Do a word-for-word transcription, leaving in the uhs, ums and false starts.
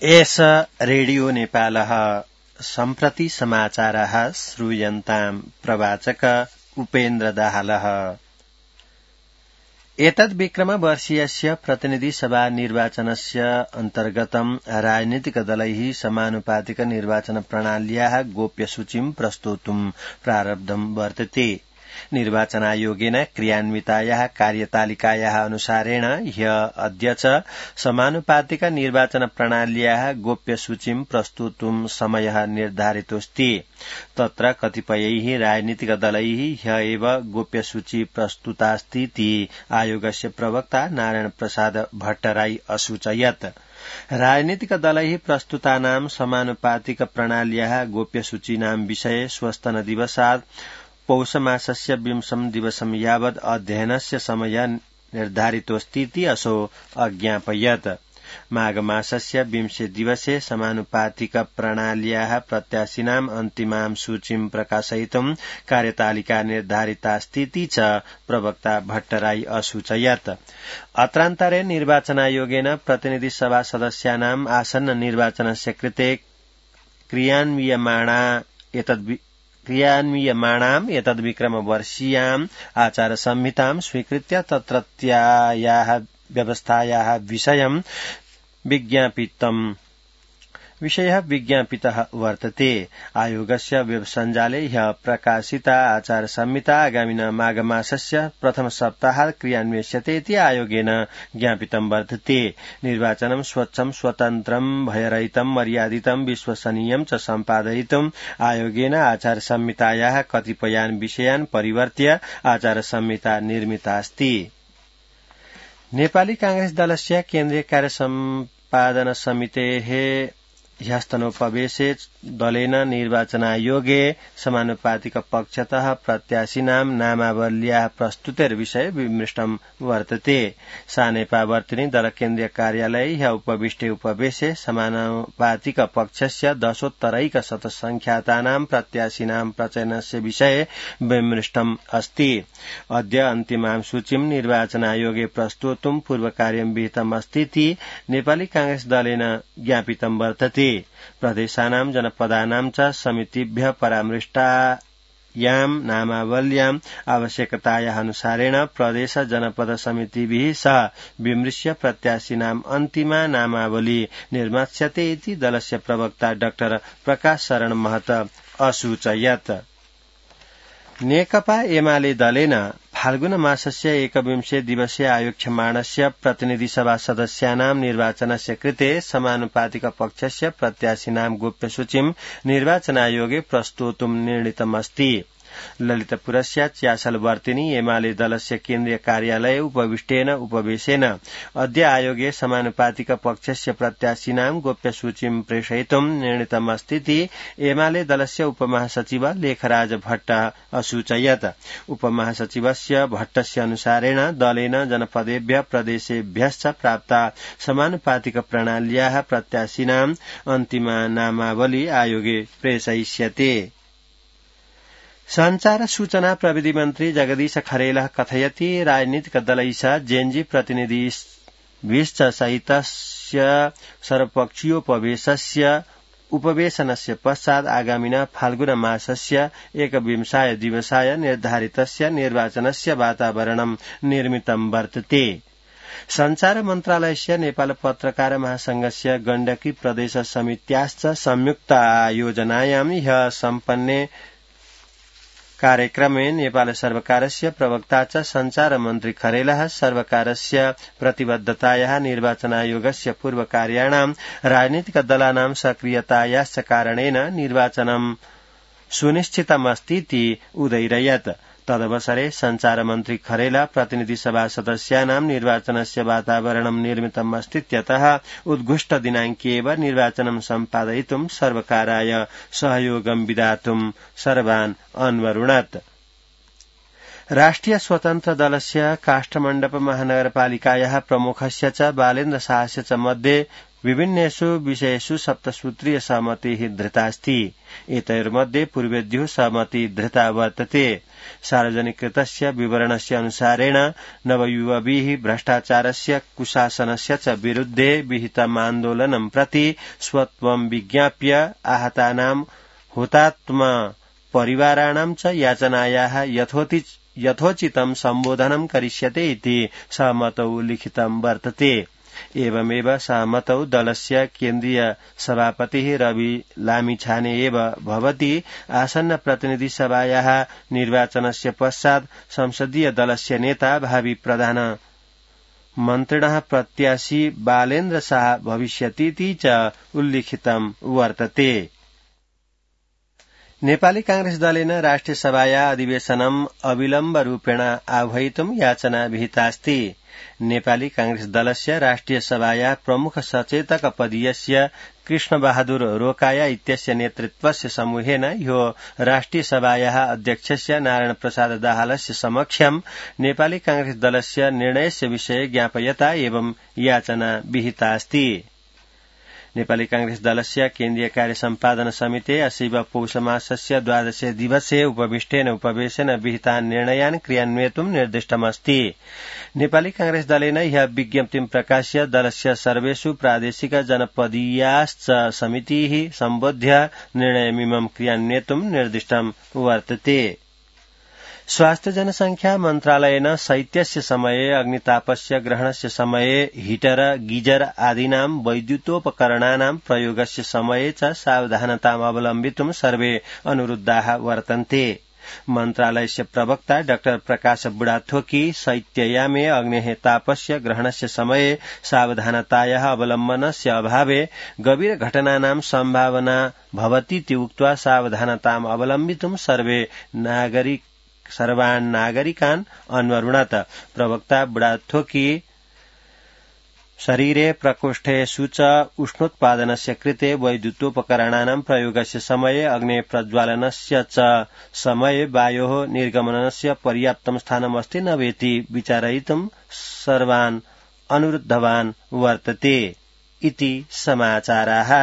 एष रेडियो नेपालः सम्प्रति समाचारः श्रूयन्ताम् प्रवाचक उपेन्द्र दाहालः। एतद् विक्रमवर्षीयस्य प्रतिनिधिसभा निर्वाचनस्य अन्तर्गतं राजनीतिकदलैः समानुपातिक निर्वाचन प्रणाल्याः गोप्यसूचीं प्रस्तोतुं प्रारब्धं वर्तते। निर्वाचनायोगेन क्रियान्वितायाः कार्यतालिकायाः अनुसारेण ह्य अद्य च समानुपातिक निर्वाचन प्रणाल्याः गोप्यसूचीं प्रस्तोतुं समयः निर्धारितोऽस्ति। तत्र कतिपयैः राजनीतिकदलैः ह्य एव गोप्यसूची प्रस्तुतास्तीति आयोगस्य प्रवक्ता नारायण प्रसाद भट्टराई असूचयत्। राजनीतिकदलैः प्रस्तुतानां समानुपातिक प्रणाल्याः गोप्यसूचीनां विषये श्वस्तनदिवसात् पौषमासस्य विंशं दिवसं यावत् अध्ययनस्य समयः निर्धारितोऽस्तीति असौ अज्ञापयत्। माघमासस्य विंशे दिवसे समानुपातिक प्रणाल्याः प्रत्याशिनाम् अन्तिमां सूचीं प्रकाशयितुं कार्यतालिका निर्धारितास्तीति च प्रवक्ता भट्टराई असूचयत्। अत्रान्तरे निर्वाचनायोगेन प्रतिनिधिसभा सदस्यानाम् आसन्न निर्वाचनस्य कृते क्रियान्वियमाणा एतद् क्रियान्वियमाणाम् एतद्विक्रमवर्षीयाम् आचारसंहितां स्वीकृत्य तत्रत्यायाः व्यवस्थायाः विषयं विज्ञापितम् विषयः विज्ञापितः वर्तते। आयोगस्य वेबसञ्जाले ह्यः प्रकाशिता आचारसंहिता आगामिन माघमासस्य प्रथम सप्ताहात् क्रियान्विष्यते इति आयोगेन ज्ञापितं वर्तते। निर्वाचनं स्वच्छं स्वतन्त्रं भयरहितं मर्यादितं विश्वसनीयं च सम्पादयितुम् आयोगेन आचारसंहितायाः कतिपयान् विषयान् परिवर्त्य आचारसंहिता निर्मितास्ति। नेपाली कांग्रेस दलस्य केन्द्रीय कार्य सम्पादन समितेः ह्यस्तनोपवेशे दलेन निर्वाचनायोगे समानुपातिक पक्षतः प्रत्याशिनां नामावल्याः प्रस्तुतेर्विषये विमृष्टं वर्तते। सानेपावर्तिनी दल केन्द्रीय कार्यालये ह्य उपविष्टे उपवेशे समानुपातिक पक्षस्य दशोत्तरैकशतसंख्यातानां प्रत्याशिनां प्रचयनस्य विषये विमृष्टम् अस्ति। अद्य अन्तिमां सूचीं निर्वाचनायोगे प्रस्तोतुं पूर्वकार्यं विहितमस्तीति नेपाली कांग्रेस दलेन ज्ञापितं वर्तते। प्रदेशानां जनपदानां च समितिभ्यः परामृष्टायां नामावल्याम् आवश्यकतायाः अनुसारेण प्रदेश जनपद समितिभिः सह विमृश्य प्रत्याशिनाम् अन्तिमा नामावली निर्मास्यते इति दलस्य प्रवक्ता डाक्टर प्रकाश शरण महत असूचयत्। नेकपा एमाले दलेन फाल्गुन मासस्य एकविंशे दिवसे आयोक्ष्यमाणस्य प्रतिनिधिसभा सदस्यानां निर्वाचनस्य कृते समानुपातिक पक्षस्य प्रत्याशिनां गोप्यसूचीं निर्वाचनायोगे प्रस्तोतुं निर्णीतमस्ति। ललितपुरस्य च्यासलवर्तिनी एमाले दलस्य केन्द्रीय कार्यालये उपविष्टेन उपवेशेन अद्य आयोगे समानुपातिक पक्षस्य प्रत्याशिनां गोप्यसूचीं प्रेषयितुं निर्णीतमस्तीति एमाले दलस्य उपमहासचिव लेखराज भट्ट असूचयत्। उपमहासचिवस्य भट्टस्य अनुसारेण दलेन जनपदेभ्यः प्रदेशेभ्यश्च प्राप्ता समानुपातिक प्रणाल्याः प्रत्याशिनां अन्तिमा नामावली आयोगे प्रेषयिष्यते। संचार सूचना प्रविधि मन्त्री जगदीश खरेलः कथयति राजनीतिक दलैः जेएनजी प्रतिनिधिभिश्च सहितस्य सर्वपक्षीयोपवेशस्य उपवेशनस्य पश्चात् आगामिन फाल्गुन मासस्य एकविंशाय दिवसाय निर्धारितस्य निर्वाचनस्य वातावरणं निर्मितं वर्तते। संचार मन्त्रालयस्य नेपाल पत्रकार महासंघस्य गण्डकी प्रदेश समित्याश्च संयुक्त आयोजनायां ह्यः सम्पन्ने कार्यक्रमे नेपाल सर्वकारस्य प्रवक्ता च संचार मन्त्री खरेलः सर्वकारस्य प्रतिबद्धतायाः निर्वाचनायोगस्य पूर्वकार्याणां राजनीतिक दलानां सक्रियतायाश्च कारणेन निर्वाचनं सुनिश्चितमस्तीति उदैरयत्। तदवसरे संचार मन्त्री खरेला प्रतिनिधिसभा सदस्यानां निर्वाचनस्य वातावरणं निर्मितमस्तीत्यतः उद्घुष्ट दिनाङ्के एव निर्वाचनं सम्पादयितुं सर्वकाराय सहयोगं विधातुं सर्वान् अन्वरुणत्। राष्ट्रिय स्वतन्त्र दलस्य काष्ठमण्डप महानगरपालिकायाः प्रमुखस्य च बालेन्द्र शाहस्य च मध्ये विभिन्नेषु विषयेषु सप्तसूत्रीय सहमतिः धृतास्ति। एतयोर्मध्ये पूर्वेद्युः सहमति धृता वर्तते। सार्वजनिकृतस्य विवरणस्य अनुसारेण नवयुवभिः भ्रष्टाचारस्य कुशासनस्य च विरुद्धे विहितम् आन्दोलनं प्रति स्वत्वं विज्ञाप्य आहतानां हुतात्म परिवाराणां च याचनायाः यथोचितं सम्बोधनं करिष्यते इति सहमतौ लिखितं वर्तते। एवमेव सहमतौ दलस्य केन्द्रीय सभापतिः रवि लामिछाने एव भवति। आसन्न प्रतिनिधि सभायाः निर्वाचनस्य पश्चात् संसदीय दलस्य नेता भावी प्रधान मन्त्रिणः प्रत्याशी बालेन्द्र शाह भविष्यतीति च उल्लिखितं वर्तते। नेपाली कांग्रेस दलेन राष्ट्रिय सभाया अधिवेशनम् अविलम्बरूपेण आह्वयितुं याचना विहितास्ति। नेपाली कांग्रेस दलस्य राष्ट्रिय सभाया प्रमुख सचेतक पदीयस्य कृष्णबहादुर रोकाया इत्यस्य नेतृत्वस्य समूहेन ह्यो राष्ट्रिय सभायाः अध्यक्षस्य नारायण प्रसाद दाहालस्य समक्षं नेपाली कांग्रेस दलस्य निर्णयस्य विषये ज्ञापयता एवं याचना विहितास्ति। नेपाली कांग्रेस दलस्य केन्द्रीय कार्य सम्पादन समिते अस्यैव पौषमासस्य द्वादशे दिवसे उपविष्टेन उपवेशेन विहितान् निर्णयान् क्रियान्वयितुं निर्दिष्टमस्ति। नेपाली कांग्रेस दलेन ह्यः विज्ञप्तिं प्रकाश्य दलस्य सर्वेषु प्रादेशिक जनपदीयाश्च समितिः सम्बोध्य निर्णयमिमं क्रियान्वयितुं निर्दिष्टं वर्तते। स्वास्थ्य जनसंख्या मन्त्रालयेन शैत्यस्य समये अग्नितापस्य ग्रहणस्य समये हीटर गीजर आदीनां वैद्युतोपकरणानां प्रयोगस्य समये च सावधानताम् अवलम्बितुं सर्वे अनुरुद्धाः वर्तन्ते। मन्त्रालयस्य प्रवक्ता डाक्टर प्रकाश बुढाथोकी शैत्ययामे अग्नेः तापस्य ग्रहणस्य समये सावधानतायाः अवलम्बनस्य अभावे गभीर घटनानां सम्भावना भवतीति उक्त्वा सावधानताम् अवलम्बितुं सर्वे नागरिक सर्वान् नागरिकान् अन्वरुणत। प्रवक्ता बुढाथोकी शरीरे प्रकोष्ठेषु च उष्णोत्पादनस्य कृते वैद्युतोपकरणानां प्रयोगस्य समये अग्ने प्रज्वालनस्य च समये वायोः निर्गमनस्य पर्याप्तं स्थानमस्ति न वेति विचारयितुं सर्वान् अनुरुद्धवान् वर्तते इति समाचाराः।